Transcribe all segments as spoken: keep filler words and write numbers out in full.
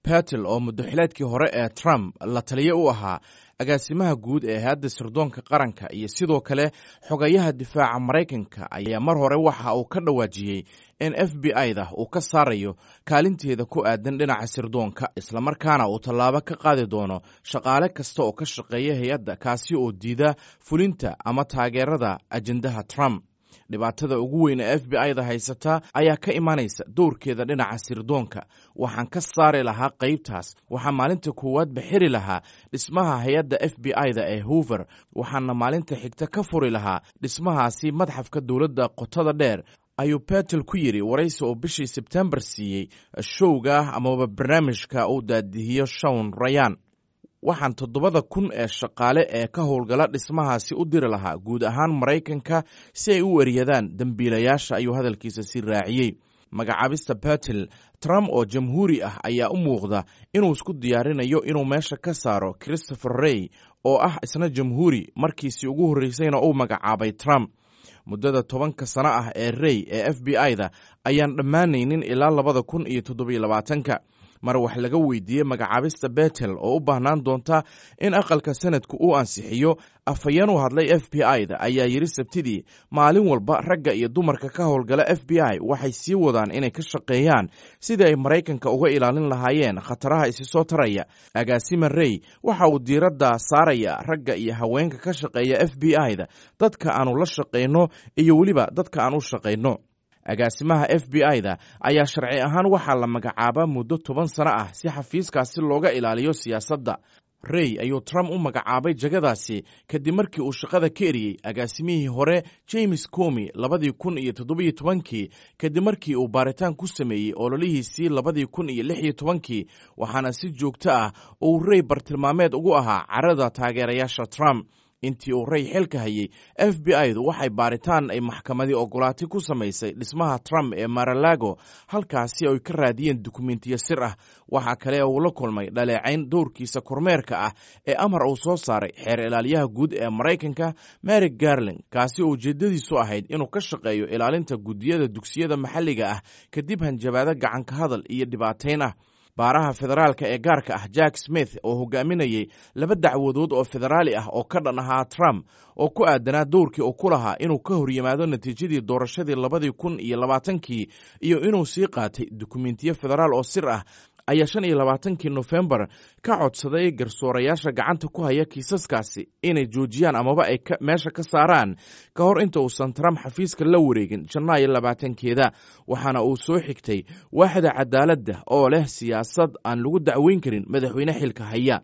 Patel oo muddoxileedkii hore ee Trump la taliye u ahaa agaasimaha guud ee hay-adda sirdoonka qaranka iyo sidoo kale xogayaha difaaca Maraykanka, ayaa mar hore waxa uu ka dhawaajiyey in F B I-da uu ka saarayo kaalinteeda ku aadan dhinaca sirdoonka, islamarkaana uu tallaabo ka qaadi doono shaqaale kasta oo ka shaqeeya hay-adda kaasi oo diida fulinta ama taageerada ajendaha Trump. Dhibaatada ugu weyn ee F B I-da haysata ayaa ka imanaysa dowrkeeda dhinaca sirdoonka. Waxaan ka saari lahaa qaybtaas. Waxaan maalinta koowaad bixiri lahaa dhismaha hay-adda F B I-da ee Hoover, waxaana maalinta xigta ka furi lahaa dhismahaasi madxafka dowladda qotada dheer, ayuu Betel ku yidhi waraysi oo bishii Sebtembar siiyey showga amaba barnaamijka uu daadihiyo Shawn Rayan. Waxaan toddobada kun ee shaqaale ee ka howlgala dhismahaasi u diri lahaa guud ahaan Maraykanka si ay u eriyadaan dembiilayaasha, ayuu hadalkiisa sii raaciyey. Magacaabista Betel, Trump oo jamhuuri ah ayaa u muuqda inuu isku diyaarinayo inuu meesha ka saaro Christopher Rey oo ah isna jamhuuri, markiisii ugu horreysayna uu magacaabay Trump. Muddada tobanka sano ah ee Rey ee F B I-da ayaan dhammaanaynin ilaa labada kun iyo toddobiyo labaatanka. Mar wax laga weydiiyey magacaabista Betel oo u baahnaan doonta in aqalka sanadku uu ansixiyo, afhayeen u hadlay F B I-da ayaa yidhi Sabtidii, maalin walba ragga iyo dumarka ka howlgala F B I waxay sii wadaan inay ka shaqeeyaan sidii ay Maraykanka uga ilaalin lahaayeen khataraha isi soo taraya. Agaasima Rey waxa uu diiradda saaraya ragga iyo haweenka ka shaqeeya F B I-da, dadka aanu la shaqayno iyo weliba dadka aan u shaqayno. Agaasimaha F B I-da ayaa sharci ahaan waxaa la magacaabaa muddo toban sano ah si xafiiskaasi looga ilaaliyo siyaasadda. Rey ayuu Trump u magacaabay jagadaasi kadib markii uu shaqada ka eriyey agaasimihii hore James Comi labadii kun iyo toddobiyo tobankii, kadib markii uu baaritaan ku sameeyey ololihiisii labadii kun iyo lix iyo tobankii, waxaana si joogto ah uu Rey bartilmaameed ugu ahaa carada taageerayaasha Trump. Intii uu Rey xilka hayey, F B I-du waxay baaritaan ay maxkamadii ogolaatay ku samaysay dhismaha Trump ee Maralago, halkaasi ay ka raadiyeen dukumentiyo sir ah. Waxaa kale uu la kulmay dhaleecayn dowrkiisa kormeerka ah ee amar uu soo saaray xeer ilaaliyaha guud ee Maraykanka Mary Garling, kaasi oo ujeeddadiisu ahayd inuu ka shaqeeyo ilaalinta guddiyada dugsiyada maxalliga ah kadib hanjabaado gacanka hadal iyo dhibaateyn ah. Baaraha federaalka ee gaarka ah Jack Smith oo hogaaminayey laba dacwadood oo federaali ah oo ka dhan ahaa Trump oo ku aadanaa dowrkii uu ku lahaa inuu ka horyimaado natiijadii doorashadii labadii kun iyo labaatankii iyo inuu sii qaatay dukumentiyo federaal oo sir ah, ayaa shan iyo labaatankii Nofembar ka codsaday garsoorayaasha gacanta ku haya kiisaskaasi inay joojiyaan amaba ay meesha ka saaraan ka hor inta uusan Trump xafiiska la wareegin Janaayo labaatankeeda. Waxaana uu soo xigtay waaxda cadaaladda oo leh siyaasad aan lagu dacweyn karin madaxweyne xilka haya.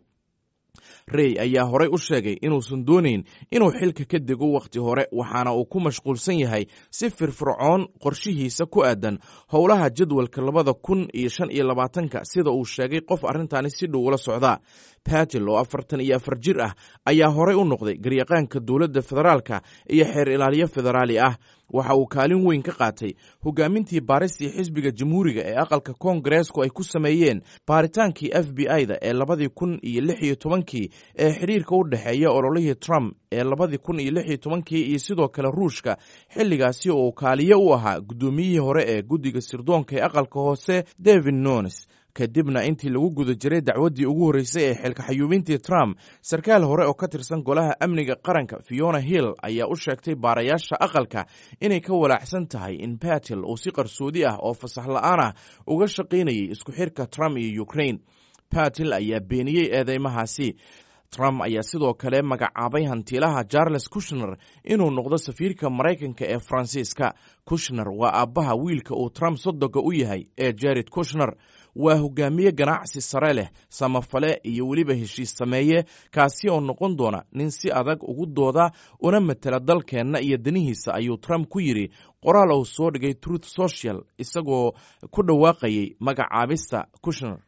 Rey ayaa horey u sheegay inuusan doonayn inuu xilka ka dego wakhti hore, waxaana uu ku mashquulsan yahay si firfircoon qorshihiisa ku aadan howlaha jadwalka labada kun iyo shan iyo labaatanka, sida uu sheegay qof arrintaani si dhow ula socda. Patel oo afartan iyo afar jir ah ayaa horey u noqday garyaqaanka dowladda federaalka iyo xeer ilaaliyo federaali ah. Waxa uu kaalin weyn ka qaatay hogaamintii baaristii xisbiga jamhuuriga ee aqalka koongareesku ay ku sameeyeen baaritaankii F B I-da ee labadii kun iyo lix iyo tobankii ee xiriirka u dhexeeya ololihii Trump ee labadii kun iyo lix iyo tobankii iyo sidoo kale Ruushka, xilligaasi oo kaaliye u ahaa guddoomiyihii hore ee guddiga sirdoonka ee aqalka hoose David Nones. Kadibna intii lagu guda jiray dacwaddii ugu horreysay ee xilka xayuubintii Trump, sarkaal hore oo ka tirsan golaha amniga qaranka Fiona Hill ayaa u sheegtay baarayaasha aqalka inay ka walaacsan tahay in Patel uu si qarsoodi ah oo fasax la'aan ah uga shaqaynayay isku xirka Trump iyo Ukraine. Patel ayaa beeniyey eedeymahaasi. Trump ayaa sidoo kale magacaabay hantiilaha Charles Kushner inuu noqdo safiirka Maraykanka ee Faransiiska. Kushner waa aabbaha wiilka uu Trump sodoga u yahay ee Jared Kushner. Waa hogaamiye ganacsi sare leh, samafale iyo weliba heshiis sameeye, kaasi oo noqon doona nin si adag ugu dooda una matela dalkeenna iyo danihiisa, ayuu Trump ku yidhi qoraal uu soo dhigay Truth Social isagoo ku dhawaaqayay magacaabista Kushner.